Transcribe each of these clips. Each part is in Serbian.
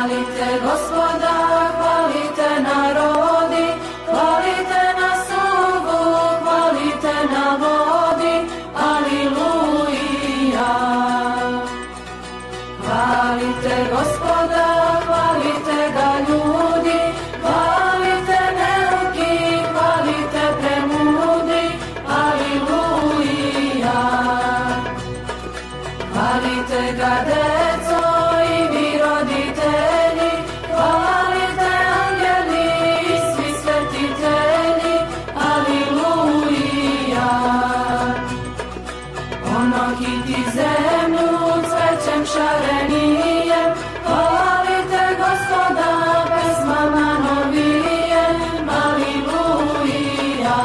Hvalite Gospoda, hvalite narodi, hvalite na suvu, hvalite na vodi, aleluja. Hvalite Gospoda, hvalite ga ljudi, hvalite neuki, hvalite premudri, aleluja. Hvalite ga deco i vi roditelji, hvalite anđeli i svi svetitelji, aleluja. Ono kiti zemlju cvećem šarenijem, hvalite Gospoda pesmama novijem, aleluja.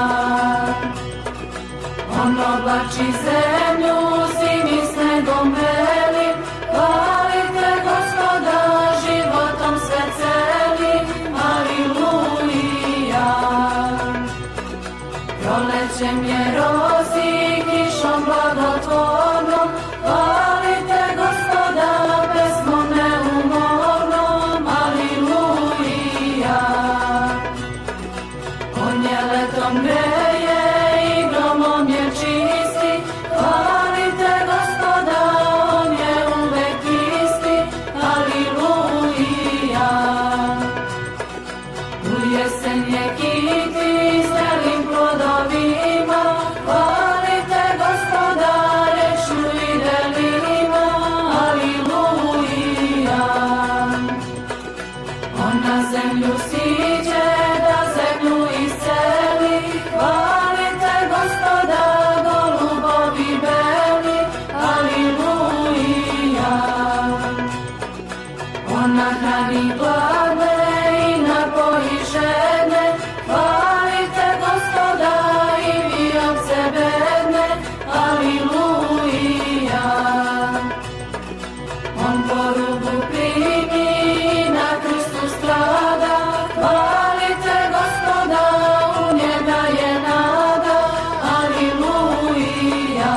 Ono oblači zemlju zimi snegom belim, hvalite Gospoda životom sve celim, aleluja. Prolećem je rozi kišom blagotvornom, hvalite Gospoda pesmom neumornom, aleluja. On je letom greje i gromom je čisti, hvalite Gospoda, on je uvek isti, aleluja. U jesen je kiti zrelim plodovima, hvalite Gospoda rečju i delima, aleluja. On na zemlju siđe da zemlju isceli, hvalite Gospoda golubovi beli, aleluja. On nahrani gladne i napoji žedne, hvalite Gospoda i vi ovce bedne, aleluja. On porugu primi i na krstu strada, hvalite Gospoda, u njega je nada, aleluja.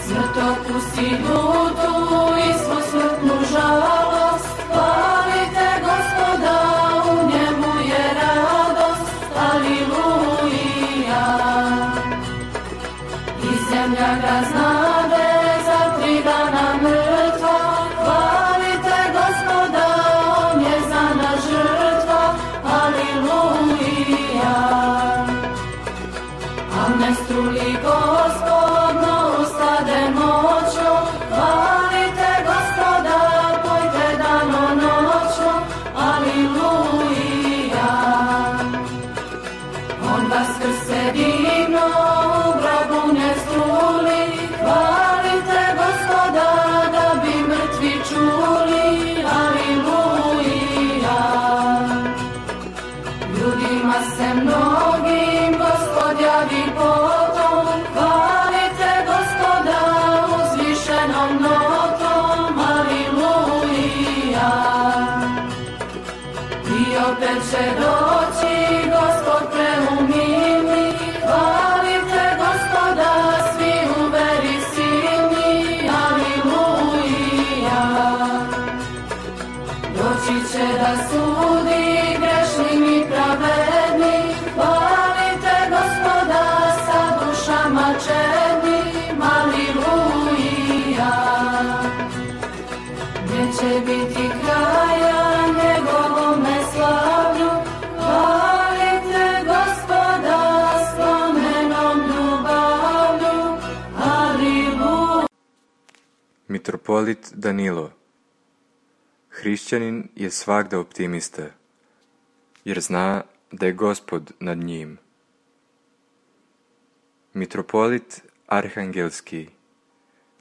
Smrt okusi ljutu i svu smrtnu žalost, hvalite Gospoda, u njemu je radost, aleluja. I zemlja ga znade za 3 dana mrtva, hvalite Gospoda, on je za nas žrtva, aleluja. A ne struli Gospod, no ustade noću, hvalite Gospoda, pojte dano noću, aleluja. On vaskrse divno, u grobu ne struli, hvalite Gospoda, da bi mrtvi čuli, aleluja. Ljudima se mnogim Gospod javi potom, hvalite Gospoda uzvišenom notom, aleluja. I opet će doći Gospod preumilni, hvalite Gospoda svi u veri silni, aleluja. Doći će da sudi grešnim i pravednim, hvalite Gospoda sa dušama čednim, aleluja. Neće biti kraja njegovome slavlju, hvalite Gospoda spomenom ljubavlju, aleluja. Mitropolit Danilo. Hrišćanin je svagda optimista, jer zna da je Gospod nad njim. Mitropolit Arhangelski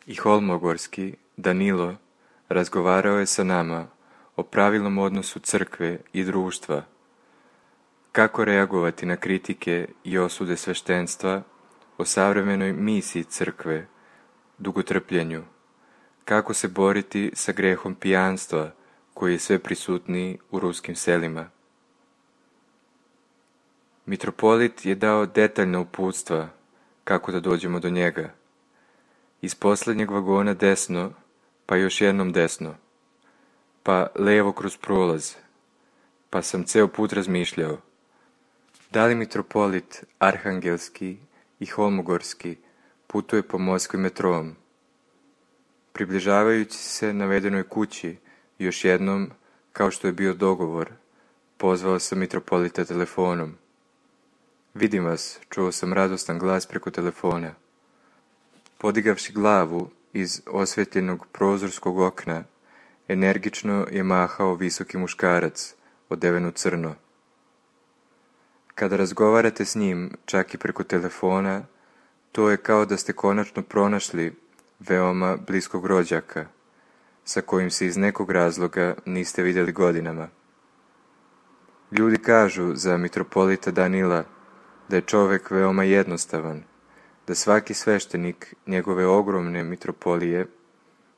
i Holmogorski Danilo razgovarao je sa nama o pravilnom odnosu crkve i društva, kako reagovati na kritike i osude sveštenstva, o savremenoj misiji crkve, dugotrpljenju, kako se boriti sa grehom pijanstva koji je sve prisutniji u ruskim selima. Mitropolit je dao detaljna uputstva kako da dođemo do njega. Iz poslednjeg vagona desno, pa još jednom desno. pa levo kroz prolaz, pa sam ceo put razmišljao, da li mitropolit Arhangelski i Holmogorski putuje po Moskvi metrom. Približavajući se navedenoj kući, još jednom, kao što je bio dogovor, pozvao sam mitropolita telefonom. Vidim vas, čuo sam radostan glas preko telefona. Podigavši glavu iz osvetljenog prozorskog okna, energično je mahao visoki muškarac, odeven u crno. Kada razgovarate s njim, čak i preko telefona, to je kao da ste konačno pronašli veoma bliskog rođaka, sa kojim se iz nekog razloga niste vidjeli godinama. Ljudi kažu za mitropolita Danila da je čovjek veoma jednostavan, da svaki sveštenik njegove ogromne mitropolije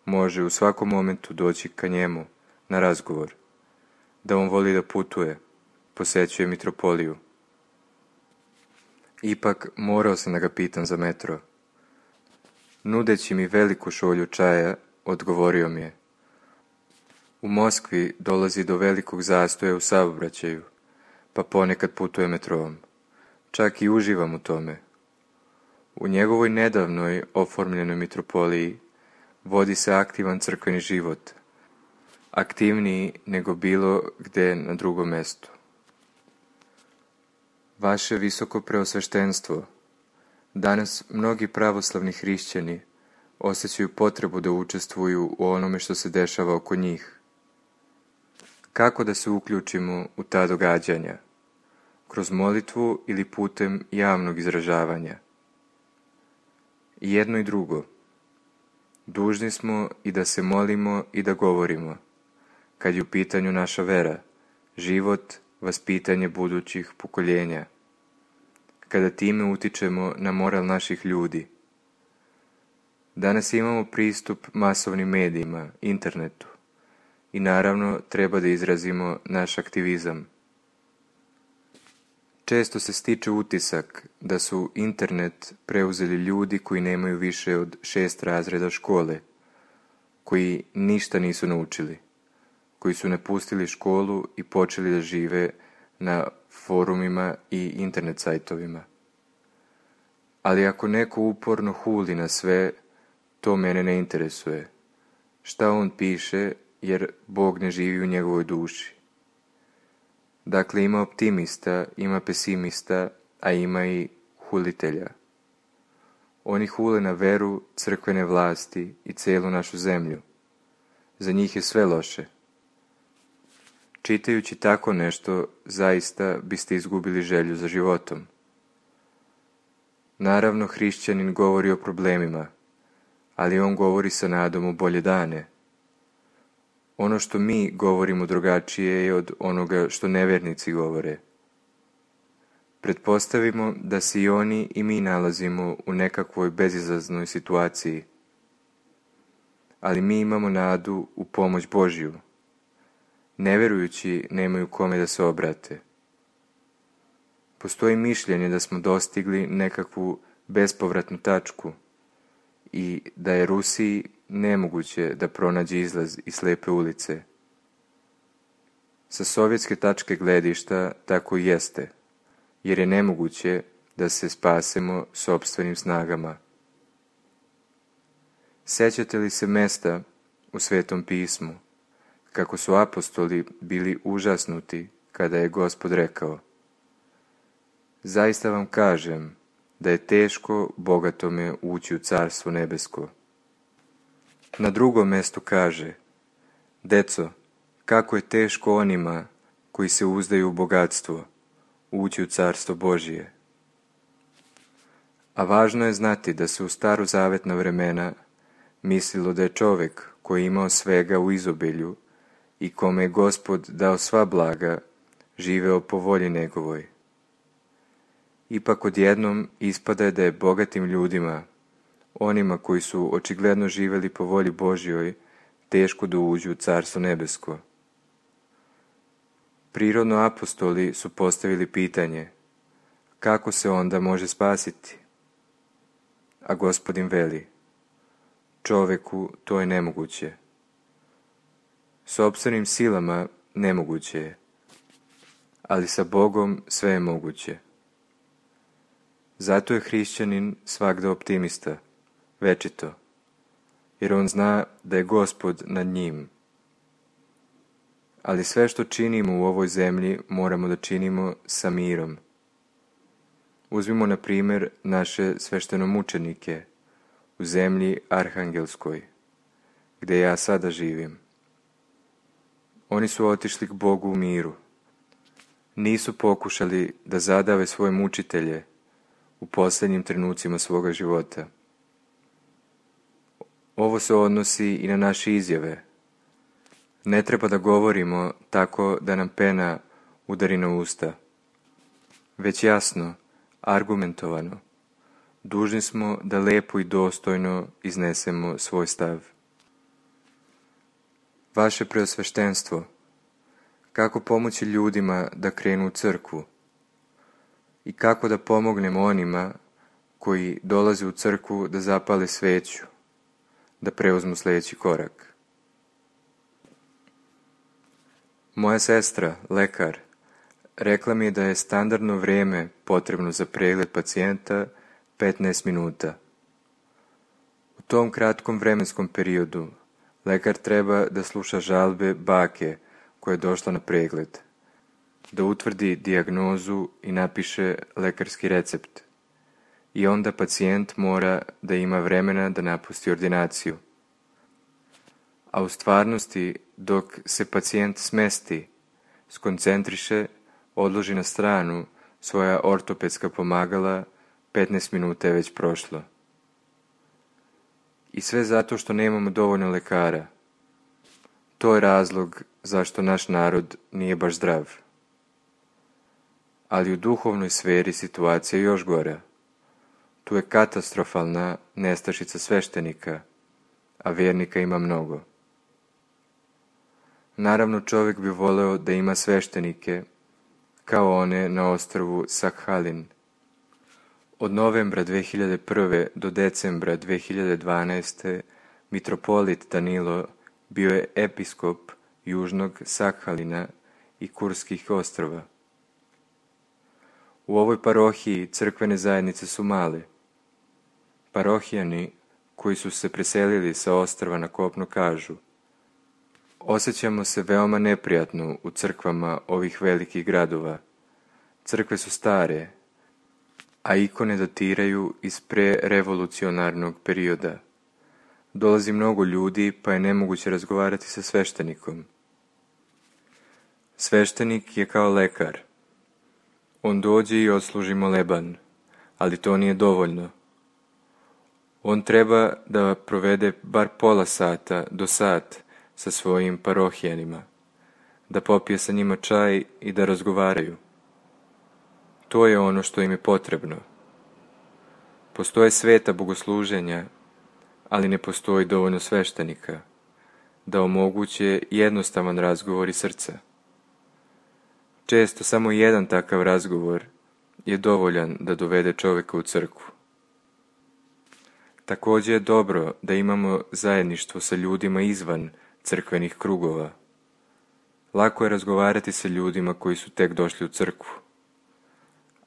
može u svakom momentu doći ka njemu na razgovor, da on voli da putuje, posećuje mitropoliju. Ipak morao sam da ga pitam za metro. Nudeći mi veliku šolju čaja, odgovorio mi je: u Moskvi dolazi do velikog zastoja u saobraćaju, pa ponekad putuje metrom. Čak i uživam u tome. U njegovoj nedavnoj oformljenoj mitropoliji vodi se aktivan crkveni život, aktivniji nego bilo gde na drugom mestu. Vaše visoko preosveštenstvo, danas mnogi pravoslavni hrišćani osjećaju potrebu da učestvuju u onome što se dešava oko njih. Kako da se uključimo u ta događanja? Kroz molitvu ili putem javnog izražavanja? I jedno i drugo. Dužni smo i da se molimo i da govorimo, kad je u pitanju naša vera, život, vaspitanje budućih pokoljenja, kada time utičemo na moral naših ljudi. Danas imamo pristup masovnim medijima, internetu, i naravno treba da izrazimo naš aktivizam. Često se stiče utisak da su internet preuzeli ljudi koji nemaju više od 6 razreda škole, koji ništa nisu naučili, koji su napustili školu i počeli da žive na forumima i internet sajtovima. Ali ako neko uporno huli na sve, to mene ne interesuje. Šta on piše, jer Bog ne živi u njegovoj duši. Dakle, ima optimista, ima pesimista, a ima i hulitelja. Oni hule na veru, crkvene vlasti i celu našu zemlju. Za njih je sve loše. Čitajući tako nešto, zaista biste izgubili želju za životom. Naravno, hrišćanin govori o problemima, ali on govori sa nadom u bolje dane. Ono što mi govorimo drugačije je od onoga što nevernici govore. Pretpostavimo da se i oni i mi nalazimo u nekakvoj bezizaznoj situaciji, ali mi imamo nadu u pomoć Božju. Neverujući nemaju kome da se obrate. Postoji mišljenje da smo dostigli nekakvu bespovratnu tačku i da je Rusiji nemoguće da pronađe izlaz iz slepe ulice. Sa sovjetske tačke gledišta tako i jeste, jer je nemoguće da se spasemo sopstvenim snagama. Sećate li se mesta u Svetom pismu, kako su apostoli bili užasnuti kada je Gospod rekao: zaista vam kažem da je teško bogatome ući u Carstvo nebesko. Na drugom mestu kaže: deco, kako je teško onima koji se uzdaju u bogatstvo ući u Carstvo Božije. A važno je znati da se u starozavetna vremena mislilo da je čovjek koji je imao svega u izobilju i kome je Gospod dao sva blaga, živeo po volji njegovoj. Ipak odjednom ispada da je bogatim ljudima, onima koji su očigledno živjeli po volji Božjoj, teško da uđu u Carstvo nebesko. Prirodno apostoli su postavili pitanje: kako se onda može spasiti? A Gospodin veli: čoveku to je nemoguće. Sopstvenim silama nemoguće je, ali sa Bogom sve je moguće. Zato je hrišćanin svagda optimista, večito, jer on zna da je Gospod nad njim. Ali sve što činimo u ovoj zemlji moramo da činimo sa mirom. Uzmimo na primjer naše sveštenomučenike u zemlji Arhangelskoj, gdje ja sada živim. Oni su otišli k Bogu u miru. Nisu pokušali da zadave svoje mučitelje u posljednjim trenucima svoga života. Ovo se odnosi i na naše izjave. Ne treba da govorimo tako da nam pena udari na usta, već jasno, argumentovano. Dužni smo da lepo i dostojno iznesemo svoj stav. Vaše preosveštenstvo, kako pomoći ljudima da krenu u crkvu i kako da pomognemo onima koji dolaze u crkvu da zapale sveću, da preuzmu sljedeći korak. Moja sestra, lekar, rekla mi je da je standardno vrijeme potrebno za pregled pacijenta 15 minuta. U tom kratkom vremenskom periodu lekar treba da sluša žalbe bake koja je došla na pregled, da utvrdi dijagnozu i napiše lekarski recept. I onda pacijent mora da ima vremena da napusti ordinaciju. A u stvarnosti, dok se pacijent smesti, skoncentriše, odloži na stranu svoja ortopedska pomagala, 15 minuta je već prošlo. I sve zato što nemamo dovoljno lekara. To je razlog zašto naš narod nije baš zdrav. Ali u duhovnoj sferi situacija je još gora. Tu je katastrofalna nestašica sveštenika, a vjernika ima mnogo. Naravno, čovjek bi voleo da ima sveštenike, kao one na ostrvu Sakhalin. Od novembra 2001. do decembra 2012. mitropolit Danilo bio je episkop južnog Sakhalina i Kurskih ostrva. U ovoj parohiji crkvene zajednice su male. Parohijani koji su se preselili sa ostrva na kopno kažu: osjećamo se veoma neprijatno u crkvama ovih velikih gradova. Crkve su stare, a ikone datiraju iz prerevolucionarnog perioda. Dolazi mnogo ljudi, pa je nemoguće razgovarati sa sveštenikom. Sveštenik je kao lekar. On dođe i odsluži moleban, ali to nije dovoljno. On treba da provede bar pola sata do sat sa svojim parohijanima, da popije sa njima čaj i da razgovaraju. To je ono što im je potrebno. Postoje sveta bogosluženja, ali ne postoji dovoljno sveštenika da omoguće jednostavan razgovor iz srca. Često samo jedan takav razgovor je dovoljan da dovede čovjeka u crkvu. Također je dobro da imamo zajedništvo sa ljudima izvan crkvenih krugova. Lako je razgovarati sa ljudima koji su tek došli u crkvu,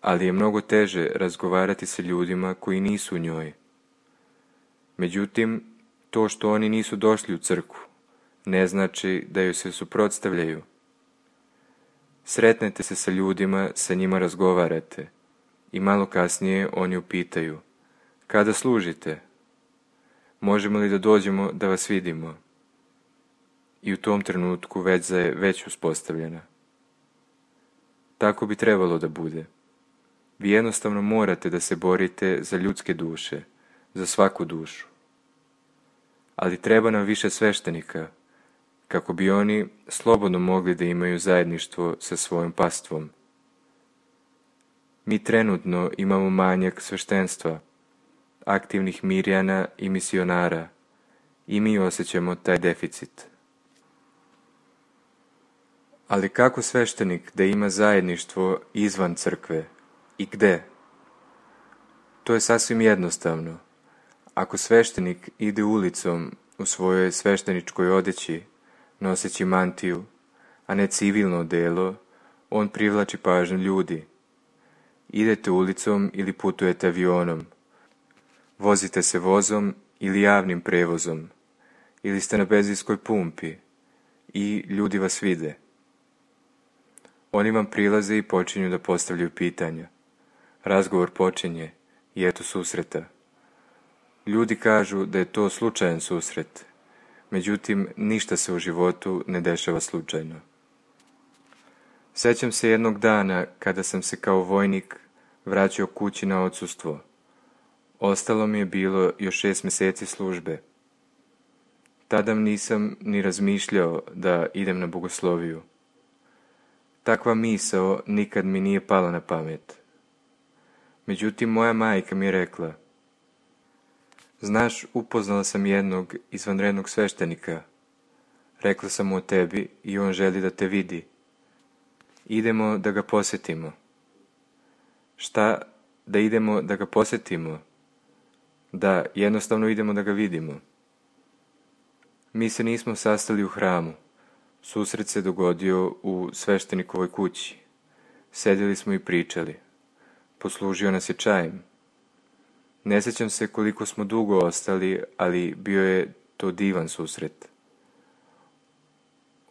ali je mnogo teže razgovarati sa ljudima koji nisu u njoj. Međutim, to što oni nisu došli u crkvu ne znači da joj se suprotstavljaju. Sretnete se sa ljudima, sa njima razgovarate i malo kasnije oni upitaju: kada služite? Možemo li da dođemo da vas vidimo? I u tom trenutku veza je već uspostavljena. Tako bi trebalo da bude. Vi jednostavno morate da se borite za ljudske duše, za svaku dušu. Ali treba nam više sveštenika, kako bi oni slobodno mogli da imaju zajedništvo sa svojom pastvom. Mi trenutno imamo manjak sveštenstva, aktivnih mirjana i misionara, i mi osjećamo taj deficit. Ali kako sveštenik da ima zajedništvo izvan crkve i gde? To je sasvim jednostavno. Ako sveštenik ide ulicom u svojoj svešteničkoj odeći, noseći mantiju, a ne civilno odelo, on privlači pažnju ljudi. Idete ulicom ili putujete avionom, vozite se vozom ili javnim prevozom, ili ste na benzinskoj pumpi i ljudi vas vide. Oni vam prilaze i počinju da postavljaju pitanja. Razgovor počinje i eto susreta. Ljudi kažu da je to slučajan susret, međutim ništa se u životu ne dešava slučajno. Sećam se jednog dana kada sam se kao vojnik vraćao kući na odsustvo. Ostalo mi je bilo još 6 mjeseci službe. Tada nisam ni razmišljao da idem na bogosloviju. Takva misao nikad mi nije pala na pamet. Međutim, moja majka mi je rekla: znaš, upoznala sam jednog izvanrednog sveštenika. Rekla sam mu o tebi i on želi da te vidi. Idemo da ga posjetimo. Šta, da idemo da ga posjetimo? Da, jednostavno idemo da ga vidimo. Mi se nismo sastali u hramu. Susret se dogodio u sveštenikovoj kući. Sedjeli smo i pričali. Poslužio nas je čajem. Ne sjećam se koliko smo dugo ostali, ali bio je to divan susret.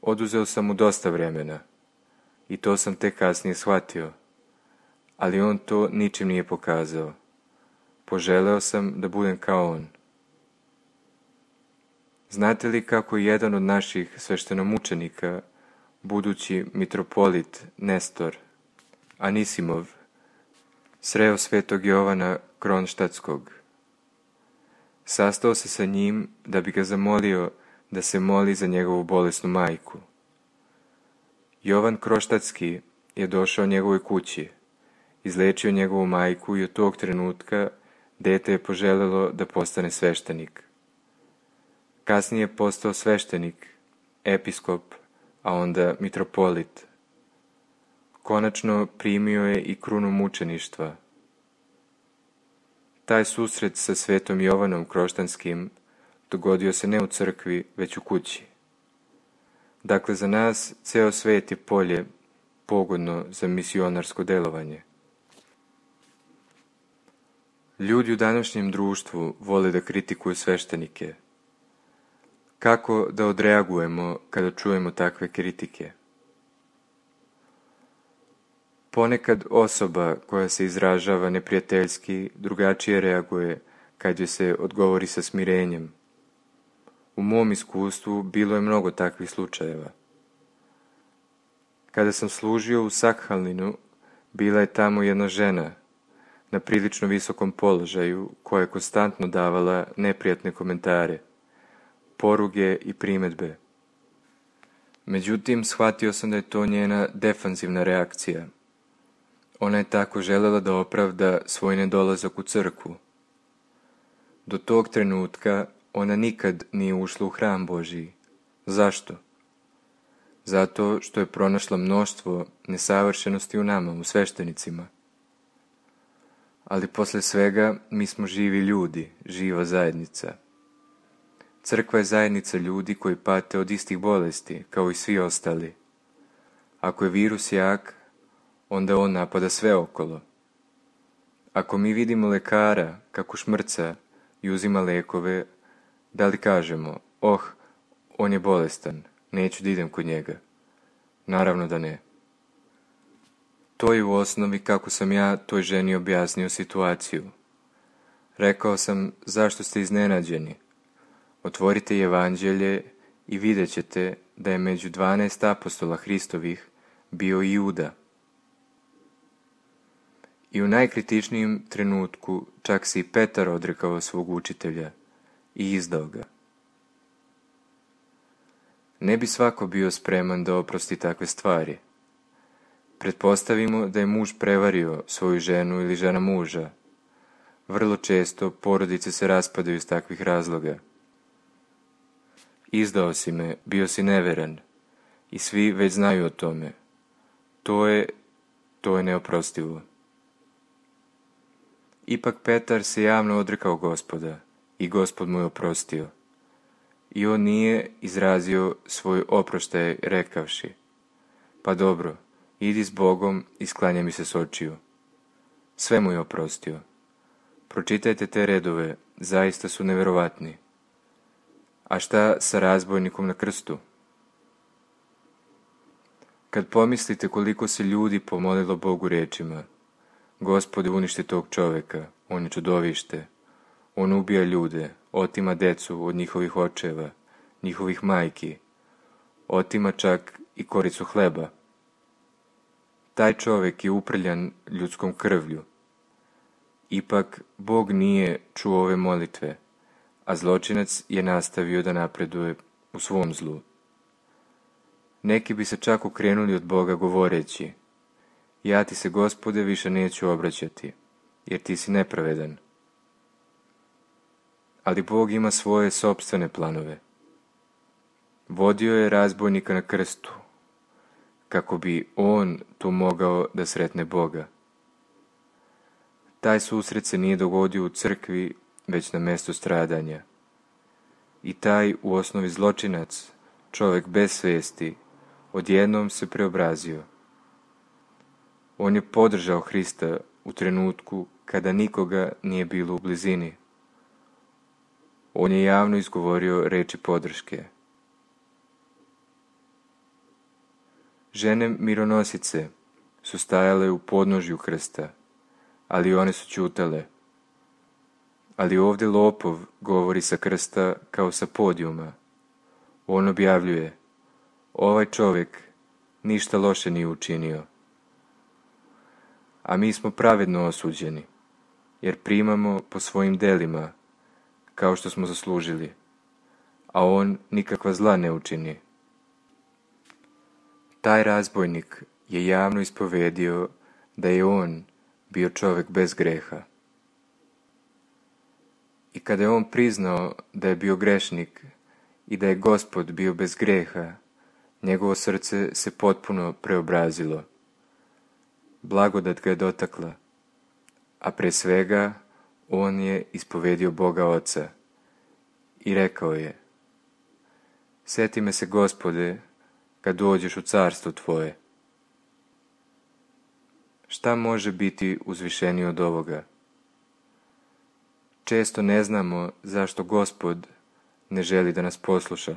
Oduzeo sam mu dosta vremena i to sam tek kasnije shvatio, ali on to ničim nije pokazao. Poželeo sam da budem kao on. Znate li kako jedan od naših sveštenomučenika, budući mitropolit Nestor Anisimov, sreo svetog Jovana Kronštatskog? Sastao se sa njim da bi ga zamolio da se moli za njegovu bolesnu majku. Jovan Kronštatski je došao njegovoj kući, izlečio njegovu majku i od tog trenutka dete je poželelo da postane sveštenik. Kasnije je postao sveštenik, episkop, a onda mitropolit. Konačno primio je i krunu mučeništva. Taj susret sa svetom Jovanom Kronštatskim dogodio se ne u crkvi, već u kući. Dakle, za nas ceo svet je polje pogodno za misionarsko delovanje. Ljudi u današnjem društvu vole da kritikuju sveštenike. Kako da odreagujemo kada čujemo takve kritike? Ponekad osoba koja se izražava neprijateljski drugačije reaguje kad joj se odgovori sa smirenjem. U mom iskustvu bilo je mnogo takvih slučajeva. Kada sam služio u Sakhalinu, bila je tamo jedna žena na prilično visokom položaju koja je konstantno davala neprijatne komentare, poruge i primedbe. Međutim, shvatio sam da je to njena defanzivna reakcija. Ona je tako želela da opravda svoj nedolazak u crkvu. Do tog trenutka ona nikad nije ušla u hram Božiji. Zašto? Zato što je pronašla mnoštvo nesavršenosti u nama, u sveštenicima. Ali posle svega mi smo živi ljudi, živa zajednica. Crkva je zajednica ljudi koji pate od istih bolesti, kao i svi ostali. Ako je virus jak, onda on napada sve okolo. Ako mi vidimo lekara kako šmrca i uzima lekove, da li kažemo: on je bolestan, neću da idem kod njega? Naravno da ne. To je u osnovi kako sam ja toj ženi objasnio situaciju. Rekao sam: zašto ste iznenađeni? Otvorite evanđelje i vidjet ćete da je među 12 apostola Hristovih bio i Juda. I u najkritičnijem trenutku čak se i Petar odrekao svog učitelja i izdao ga. Ne bi svako bio spreman da oprosti takve stvari. Pretpostavimo da je muž prevario svoju ženu ili žena muža. Vrlo često porodice se raspadaju iz takvih razloga. Izdao si me, bio si neveran i svi već znaju o tome. To je neoprostivo. Ipak Petar se javno odrekao Gospoda i Gospod mu je oprostio. i on nije izrazio svoj oproštaj rekavši: pa dobro, idi s Bogom i sklanjaj mi se s očiju. Sve mu je oprostio. Pročitajte te redove, zaista su neverovatni. A šta sa razbojnikom na krstu? Kad pomislite koliko se ljudi pomolilo Bogu rečima: Gospode, uništi tog čoveka, on je čudovište, on ubija ljude, otima decu od njihovih očeva, njihovih majki, otima čak i koricu hleba. Taj čovek je uprljan ljudskom krvlju. Ipak Bog nije čuo ove molitve, a zločinac je nastavio da napreduje u svom zlu. Neki bi se čak okrenuli od Boga govoreći: ja ti se, Gospode, više neću obraćati, jer ti si nepravedan. Ali Bog ima svoje sopstvene planove. Vodio je razbojnika na krstu, kako bi on tu mogao da sretne Boga. Taj susret se nije dogodio u crkvi, već na mestu stradanja. I taj u osnovi zločinac, čovek bez svesti, odjednom se preobrazio. On je podržao Hrista u trenutku kada nikoga nije bilo u blizini. On je javno izgovorio reči podrške. Žene mironosice su stajale u podnožju krsta, ali one su ćutale. Ali ovdje lopov govori sa krsta kao sa podijuma. On objavljuje: ovaj čovjek ništa loše nije učinio. A mi smo pravedno osuđeni, jer primamo po svojim delima, kao što smo zaslužili, a on nikakva zla ne učini. Taj razbojnik je javno ispovedio da je on bio čovjek bez greha. I kada je on priznao da je bio grešnik i da je Gospod bio bez greha, njegovo srce se potpuno preobrazilo. Blagodat ga je dotakla, a pre svega on je ispovedio Boga Oca i rekao je: sjeti me se, Gospode, kad dođeš u carstvo tvoje. Šta može biti uzvišenije od ovoga? Često ne znamo zašto Gospod ne želi da nas posluša.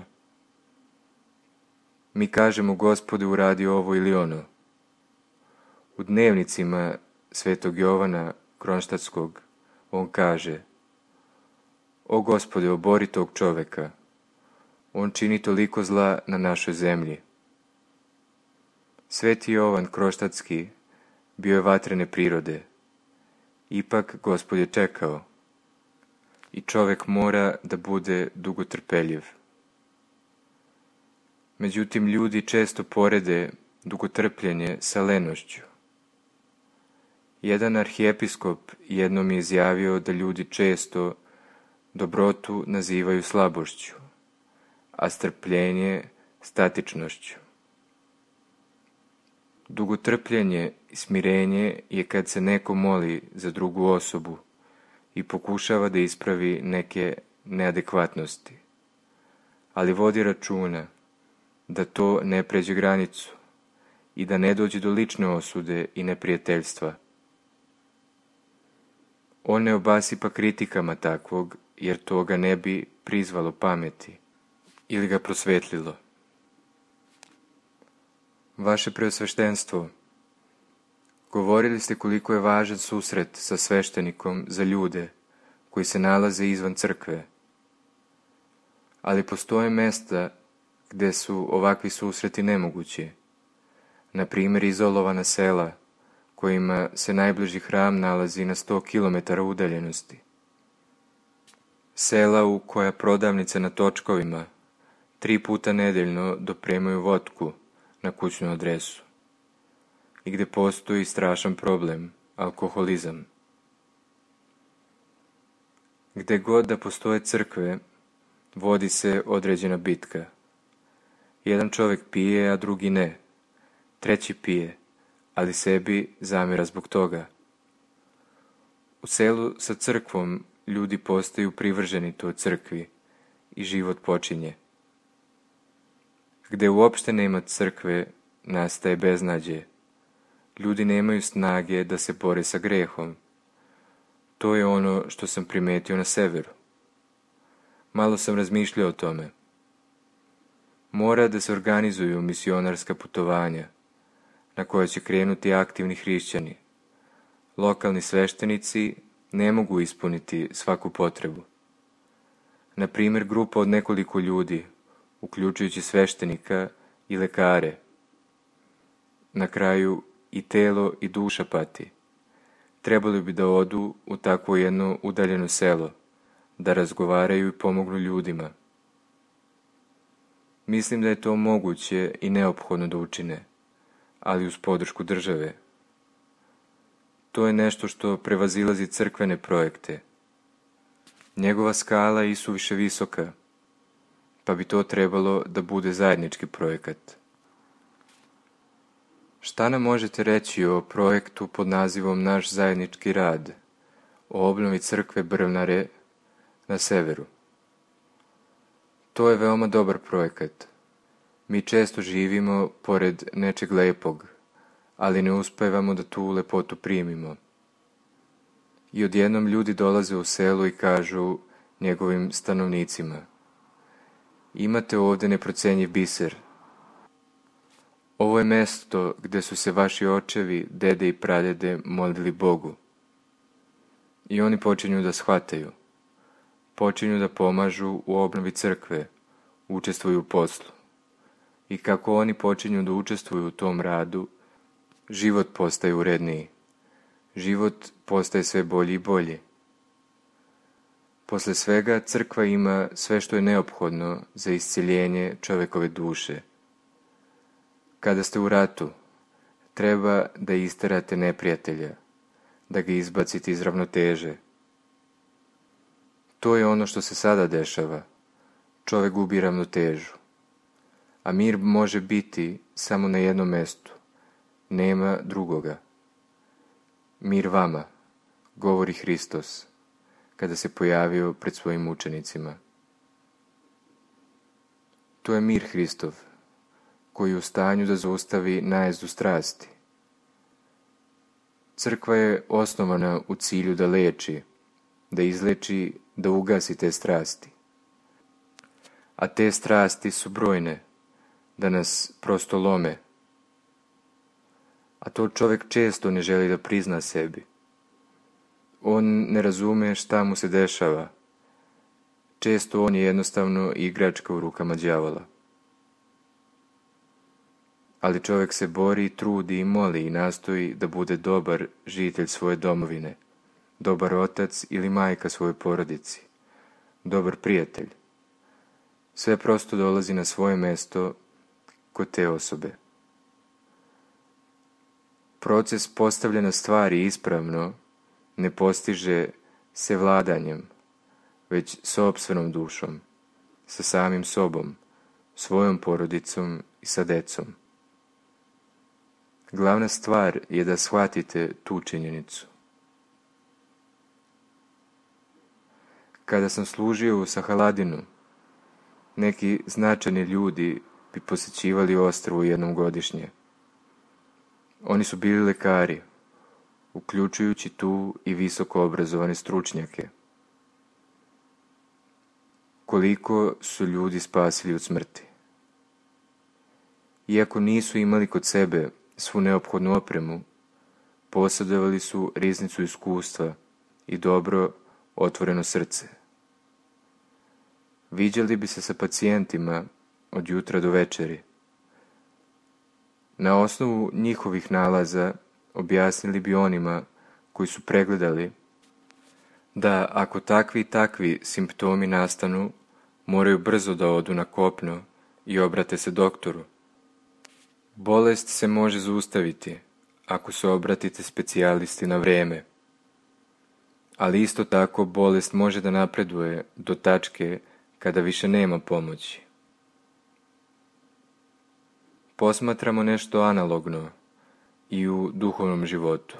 Mi kažemo: Gospode, uradi ovo ili ono. U dnevnicima svetog Jovana Kronštatskog on kaže: o Gospode, obori tog čoveka, on čini toliko zla na našoj zemlji. Sveti Jovan Kronštatski bio je vatrene prirode. Ipak Gospod je čekao. I čovek mora da bude dugotrpeljiv. Međutim, ljudi često porede dugotrpljenje sa lenošću. Jedan arhijepiskop jednom je izjavio da ljudi često dobrotu nazivaju slabošću, a strpljenje statičnošću. Dugotrpljenje i smirenje je kad se neko moli za drugu osobu i pokušava da ispravi neke neadekvatnosti, ali vodi računa da to ne pređe granicu i da ne dođe do lične osude i neprijateljstva. On ne obasipa kritikama takvog, jer to ga ne bi prizvalo pameti ili ga prosvetlilo. Vaše preosveštenstvo, govorili ste koliko je važan susret sa sveštenikom za ljude koji se nalaze izvan crkve. Ali postoje mesta gde su ovakvi susreti nemogući, na primjer izolovana sela kojima se najbliži hram nalazi na 100 km udaljenosti. Sela u koja prodavnice na točkovima 3 puta nedeljno dopremaju vodku na kućnu adresu i gde postoji strašan problem, alkoholizam. Gde god da postoje crkve, vodi se određena bitka. Jedan čovjek pije, a drugi ne. Treći pije, ali sebi zamjera zbog toga. U selu sa crkvom ljudi postaju privrženi toj crkvi i život počinje. Gde uopšte nema crkve, nastaje beznađe. Ljudi nemaju snage da se bore sa grehom. To je ono što sam primetio na severu. Malo sam razmišljao o tome. Mora da se organizuju misionarska putovanja, na koja će krenuti aktivni hrišćani. Lokalni sveštenici ne mogu ispuniti svaku potrebu. Na primjer, grupa od nekoliko ljudi, uključujući sveštenika i lekare. Na kraju i telo i duša pati. Trebali bi da odu u takvo jedno udaljeno selo, da razgovaraju i pomognu ljudima. Mislim da je to moguće i neophodno da učine, ali uz podršku države. To je nešto što prevazilazi crkvene projekte. Njegova skala je isuviše visoka, pa bi to trebalo da bude zajednički projekat. Šta nam možete reći o projektu pod nazivom Naš zajednički rad, o obnovi crkve Brvnare na severu? To je veoma dobar projekat. Mi često živimo pored nečeg lepog, ali ne uspevamo da tu lepotu primimo. I odjednom ljudi dolaze u selo i kažu njegovim stanovnicima: imate ovdje neprocenjiv biser. Ovo je mesto gde su se vaši očevi, dede i pradede molili Bogu. I oni počinju da shvataju. Počinju da pomažu u obnovi crkve, učestvuju u poslu. I kako oni počinju da učestvuju u tom radu, život postaje uredniji. Život postaje sve bolji i bolji. Posle svega, crkva ima sve što je neophodno za isceljenje čovekove duše. Kada ste u ratu, treba da isterate neprijatelja, da ga izbacite iz ravnoteže. To je ono što se sada dešava. Čovek gubi ravnotežu. A mir može biti samo na jednom mestu. Nema drugoga. Mir vama, govori Hristos, kada se pojavio pred svojim učenicima. To je mir Hristov, koji je u stanju da zaustavi najezdu strasti. Crkva je osnovana u cilju da leči, da izleči, da ugasi te strasti. A te strasti su brojne, da nas prosto lome. A to čovjek često ne želi da prizna sebi. On ne razume šta mu se dešava. Često on je jednostavno igračka u rukama đavola. Ali čovjek se bori, trudi i moli i nastoji da bude dobar žitelj svoje domovine, dobar otac ili majka svojoj porodici, dobar prijatelj. Sve prosto dolazi na svoje mesto kod te osobe. Proces postavljanja stvari ispravno ne postiže se vladanjem, već sopstvenom dušom, sa samim sobom, svojom porodicom i sa decom. Glavna stvar je da shvatite tu činjenicu. Kada sam služio u Sahaladinu, neki značajni ljudi bi posećivali ostrvo jednom godišnje. Oni su bili lekari, uključujući tu i visoko obrazovane stručnjake. Koliko su ljudi spasili od smrti. Iako nisu imali kod sebe svu neophodnu opremu, posjedovali su riznicu iskustva i dobro otvoreno srce. Viđali bi se sa pacijentima od jutra do večeri. Na osnovu njihovih nalaza objasnili bi onima koji su pregledali da ako takvi i takvi simptomi nastanu, moraju brzo da odu na kopno i obrate se doktoru. Bolest se može zaustaviti ako se obratite specijalisti na vreme, ali isto tako bolest može da napreduje do tačke kada više nema pomoći. Posmatramo nešto analogno i u duhovnom životu.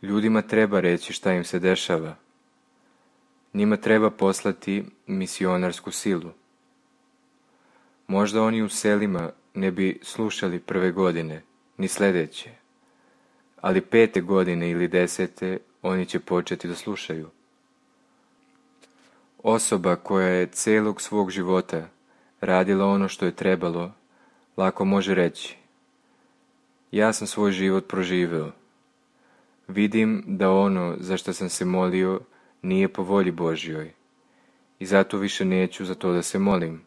Ljudima treba reći šta im se dešava. Njima treba poslati misionarsku silu. Možda oni u selima ne bi slušali prve godine, ni sljedeće, ali 5. godine ili 10. oni će početi da slušaju. Osoba koja je celog svog života radila ono što je trebalo, lako može reći: ja sam svoj život proživeo. Vidim da ono za što sam se molio nije po volji Božjoj i zato više neću za to da se molim.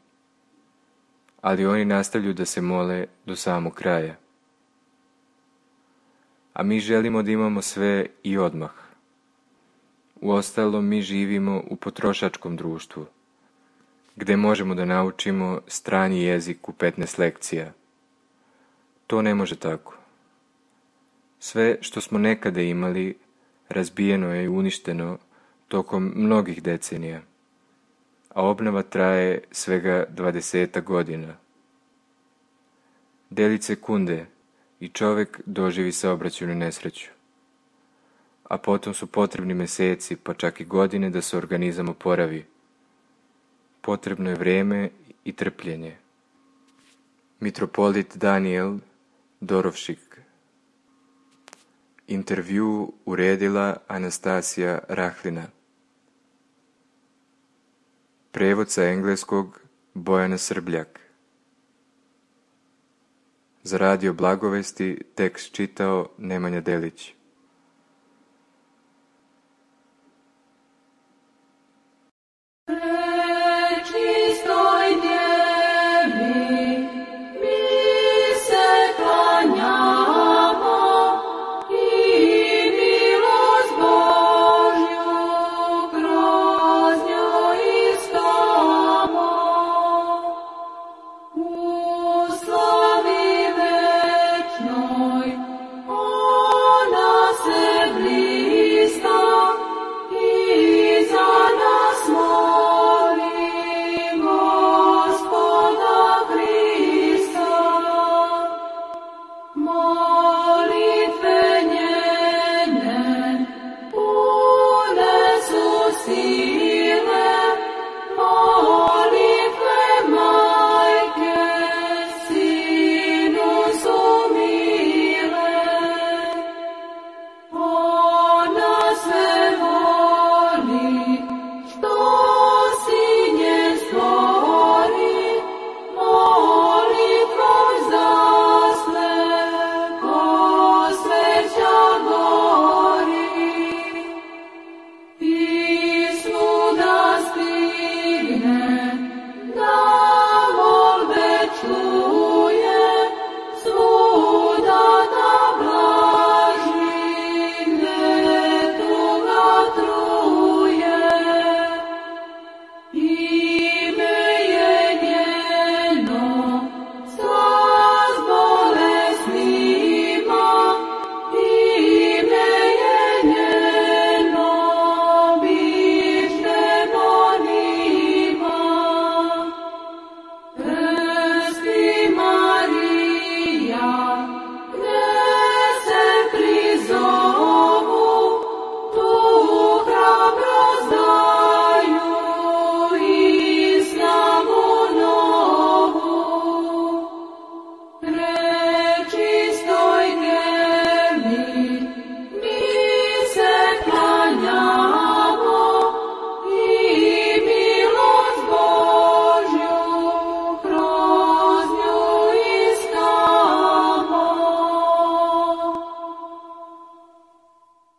Ali oni nastavljaju da se mole do samog kraja. A mi želimo da imamo sve i odmah. Uostalom, mi živimo u potrošačkom društvu, gde možemo da naučimo strani jezik u 15 lekcija. To ne može tako. Sve što smo nekada imali, razbijeno je i uništeno tokom mnogih decenija, a obnova traje svega 20 godina. Delić sekunde i čovek doživi saobraćajnu nesreću, a potom su potrebni meseci, pa čak i godine da se organizam oporavi. Potrebno je vreme i trpljenje. Mitropolit Danijel Dorovšik. Intervju uredila Anastasija Rahlina. Prevod sa engleskog Bojana Srbljak. Za Radio Blagovesti tekst čitao Nemanja Delić.